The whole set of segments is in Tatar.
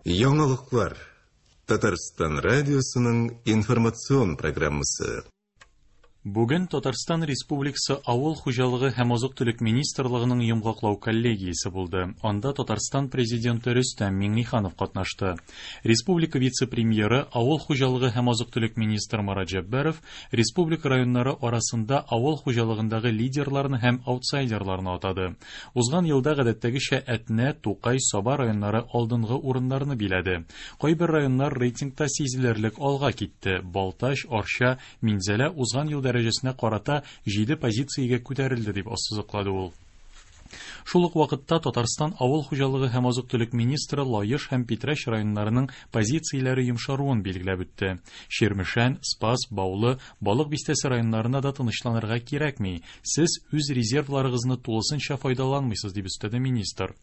Яңалыклар. Татарстан радиосының информацион программасы. Бүген Татарстан Республикасы Авыл хуҗалыгы һәм азык-төлек министрлыгының йомгаклау коллегиясе булды. Анда Татарстан Президенты Рөстәм Миңнеханов катнашты. Республика вице-премьеры, авыл хуҗалыгы һәм азык-төлек министры Марат Җәббаров республика районнары арасында авыл хуҗалыгындагы лидерларны һәм аутсайдерларны атады. Узган елда гадәттәгечә Әтнә, Тукай, Саба районнары алдынгы урыннарны биләде. Кайбер районнар рейтингта сизелерлек алга китте. Балтач, Арча, Минзәлә узган ел дәрәҗәсенә карата җиде позициягә күтәрелде, дип ассызыклады ул. Шул ук вакытта Татарстан авыл хуҗалыгы һәм азык-төлек министры Лаеш һәм Питрәч районнарының позицияләре йомшаруын билгеләп үтте. Чирмешән, Спас, Баулы, Балык Бистәсе районнарына да тынычланырга кирәкми, сез үз резервларыгызны тулысынча файдаланмыйсыз, дип өстәде министр.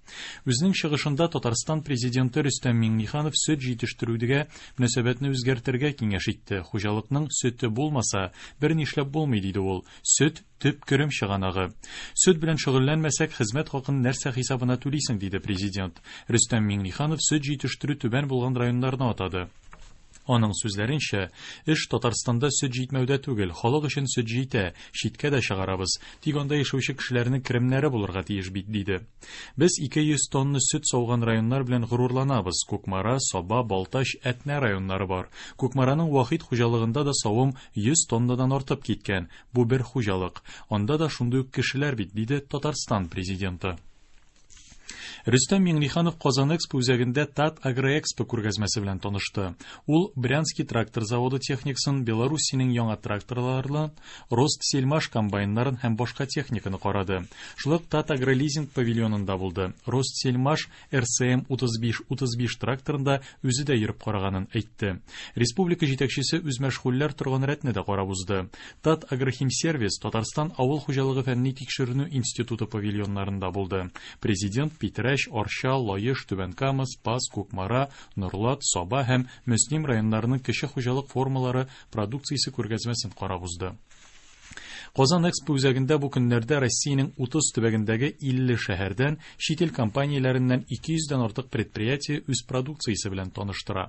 Үзенең чыгышында Татарстан Президенты Рөстәм Миңнеханов сөт җитештерүгә мөнәсәбәтне үзгәртергә киңәш итте. Хуҗалыкның сөте булмаса, бернишләп булмый, диде ул. Сөт, төп керем чыганагы. Сөт белән шөгыльләнмәсәк, хезмәт хакын нәрсә хисабына түлисең, диде Президент. Рөстәм Миңнеханов сөт җитештерү түбән булган районнарны атады. Аның сүзләренчә, эш Татарстанда сөт җитмәүдә түгел, халык өчен сөт җитә, читкә дә чыгарабыз, тик анда яшәүче кешеләрнең керемнәре булырга тиеш бит, диде. Без 200 тонна сөт сауган районнар белән горурланабыз, Кукмара, Саба, Балтач, Әтнә районнары бар. Кукмараның Вахит хуҗалыгында да савым 100 тоннадан артып киткән, Бу бер хуҗалык. Анда да шундый ук кешеләр бит, диде Татарстан Президенты. Рөстәм Миңнеханов Казан Экспо үзәгендә Тат Агроэкспо күргәзмәсе белән танышты. Ул Брянский трактор заводы техникасын, Белоруссиянең яңа тракторларын, Ростсельмаш комбайннарын һәм башка техниканы карады. Шулай ук Татагролизинг павильонында булды. Ростсельмаш РСМ 35-35 тракторында үзе дә йөреп караганын әйтте. Республика җитәкчесе үзмәшгульләр торган рәтне дә карап узды. Татагрохимсервис, Татарстан авыл хуҗалыгы фәнни тикшеренү институты павильоннарында булды. Президент Питрәч, Арча, Лаеш, Түбән Кама, Спас, Кукмара, Норлат, Саба һәм Мөслим районнарының кече хуҗалык формалары продукциясе күргәзмәсен карап узды. Казан Экспо үзәгендә бу көннәрдә Россиянең 30 төбәгендәге 50 шәһәрдән, чит ил компанияләреннән 200 дән артык предприятие үз продукциясе белән таныштыра.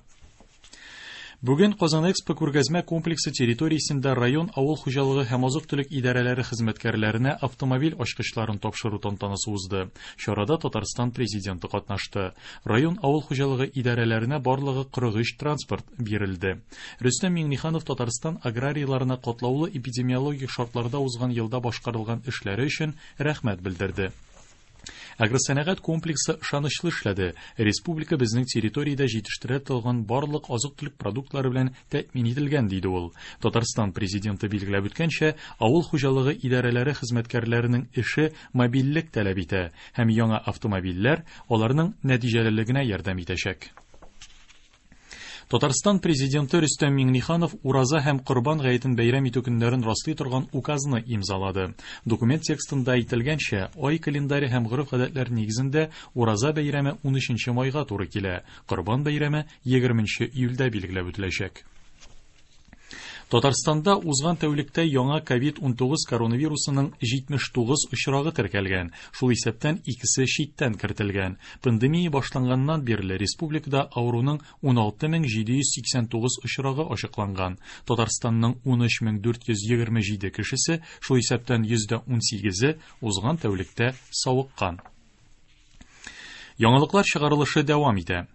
Бүген Казан Экспо күргәзмә комплексы территориясендә район авыл хуҗалыгы һәм азык-төлек идарәләре хезмәткәрләренә автомобиль ачкычларын тапшыру тантанасы узды. Чарада Татарстан Президенты катнашты. Район авыл хуҗалыгы идарәләренә барлыгы 43 транспорт бирелде. Рөстәм Миңнеханов Татарстан аграрийларына катлаулы эпидемиологик шартларда узган елда башкарылган эшләре өчен рәхмәт белдерде. Агросәнәгать комплексы ышанычлы эшләде. Республика безнең территориядә җитештерә торган барлык азык-төлек продуктлары белән тәэмин ителгән, диде ул. Татарстан Президенты билгеләп үткәнчә, авыл хуҗалыгы идарәләре хезмәткәрләренең эше мобильлек таләп итә һәм яңа автомобильләр аларның нәтиҗәлелегенә ярдәм итәчәк. Татарстан Президенты Рөстәм Миңнеханов Ураза һәм Корбан гаетен бәйрәм итү көннәрен раслый торган указны имзалады. Документ текстында әйтелгәнчә, ай календаре һәм гореф-гадәтләр нигезендә Ураза бәйрәме 13 майга туры килә, Корбан бәйрәме 20 июльдә билгеләп үтеләчәк. Татарстанда узган тәүлектә яңа ковид-19 коронавирусының 79 очрагы теркәлгән, шул исәптән икесе читтән кертелгән. Пандемия башланганнан бирле республикада авыруның 16789 очрагы ачыкланган. Татарстанның 13427 кешесе, шул исәптән 18%-е узган тәүлектә савыккан. Яңалыклар чыгарылышы дәвам итә.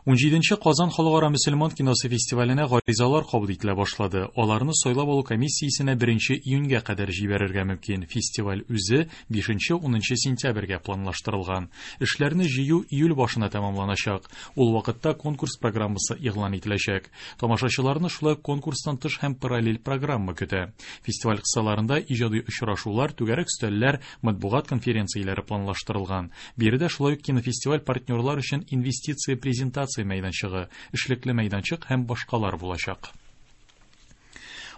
17 Казан халыкара мөселман киносы фестиваленә гаризалар кабул ителә башлады. Аларны сайлап алу комиссиясенә 1 июньгә кадәр җибәрергә мөмкин. Фестиваль үзе 5-10 сентябрьгә планлаштырылган. Эшләрне җыю июль башына тәмамланачак. Ул вакытта конкурс программасы игълан ителәчәк. Тамашачыларны шулай конкурстан тыш һәм параллель программа көтә. Фестиваль кысаларында иҗади очрашулар, түгәрәк өстәлләр, матбугат конференцияләре планлаштырылган. Биредә шулай ук кинофестиваль партнерлар өчен инвестиция презентация мәйданчыгы, эшлекле мәйданчык һәм башкалар булачак.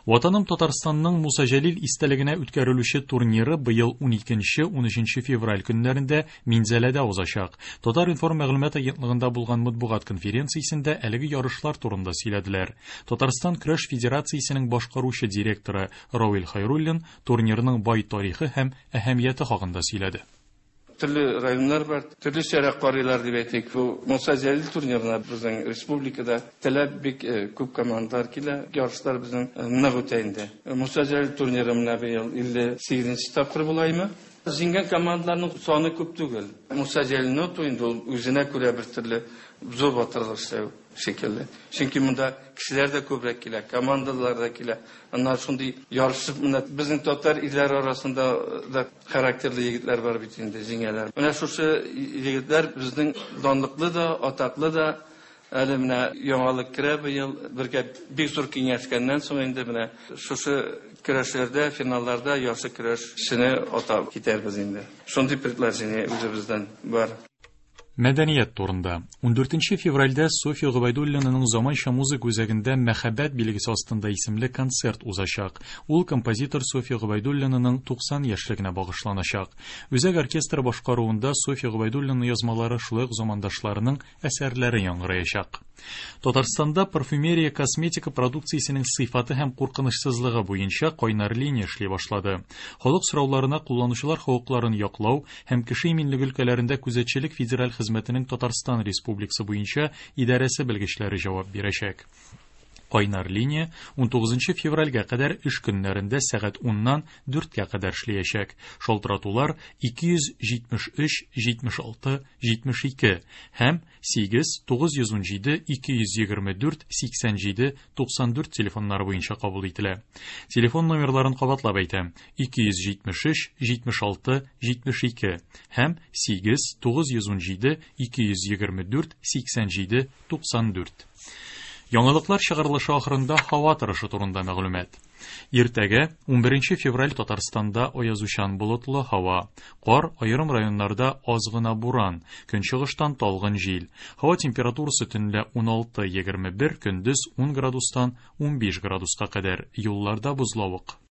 Ватаным Татарстанның Муса Җәлил истәлегенә үткәрелүче турниры быел 12-13 февраль көннәрендә Минзәләдә узачак. Татар-информ мәгълүмат агентлыгында булган матбугат конференциясендә әлеге ярышлар турында сөйләделәр. Татарстан көрәш федерациясенең башкаручы директоры Равил Хайруллин турнирның бай тарихы һәм әһәмияте хакында сөйләде. Төрле районнар бар, төрлечәрәк карыйлар дип әйтик. Бу Муса Җәлил турнирына безнең республикада теләп бик күп командалар килә. Ярышлар безнең нык үтә инде. Муса Җәлил турниры менә быел 58 тапкыр булаймы? Җиңгән командаларның саны күп түгел. Муса Җәлилне оту инде ул үзенә күрә бер төрле зур батырлык эшләү шикелле. Чөнки монда кешеләр дә күбрәк килә, командалар да килә. Аннары шундый ярышып менә безнең татар ирләре арасында да характерлы егетләр бар бит инде, җиңәләр. Менә шушы егетләр безнең данлыклы да, атаклы да. Әле менә яңалык керә быел, бергә бик зур киңәшкәннән соң инде менә шушы көрәшләрдә, финалларда яхшы көрәшчене атап китәрбез инде. Шундый предложение үзебездән бар. Мәдәният турында. 14 февральдә Софья Гобәйдуллинаның Заманча музыка үзәгендә Мәхәббәт билгесе астында исемле концерт узачак. Ул композитор Софья Гобәйдуллинаның 90 яшьлегенә багышланачак. Үзәк оркестры башкаруында Софья Гобәйдуллина язмалары, шулай ук замандашларының әсәрләре яңгыраячак. Татарстанда парфюмерия косметика продукциясенең сыйфаты һәм куркынычсызлыгы буенча кайнар линия эшли башлады. Халык сорауларына кулланучылар хокукларын яклау һәм кеше иминлеге өлкәләрендә күзәтчелек федераль хезмәтенең Татарстан Республикасы буенча идарәсе белгечләре җавап бирәчәк. Кайнар линия 19 февральгә кадәр эш көннәрендә сәгать 10-нан 4-кә кадәр эшләячәк. Шалтыратулар 273 76 72 һәм 8 917 224 87 94 телефоннары буенча кабул ителә. Телефон номерларын кабатлап әйтәм: 273 76 72 һәм 8 917 224 87 94. Яңалыклар чыгарылышы ахырында һава торышы турында мәгълүмат. Иртәгә 11 февраль Татарстанда аязучан болытлы һава. Кар, аерым районнарда аз гына буран, көнчыгыштан талгын җил. Һава температурасы төнлә 16-21, көндез 10 градустан 15 градуска кадәр. Юлларда бозлавык.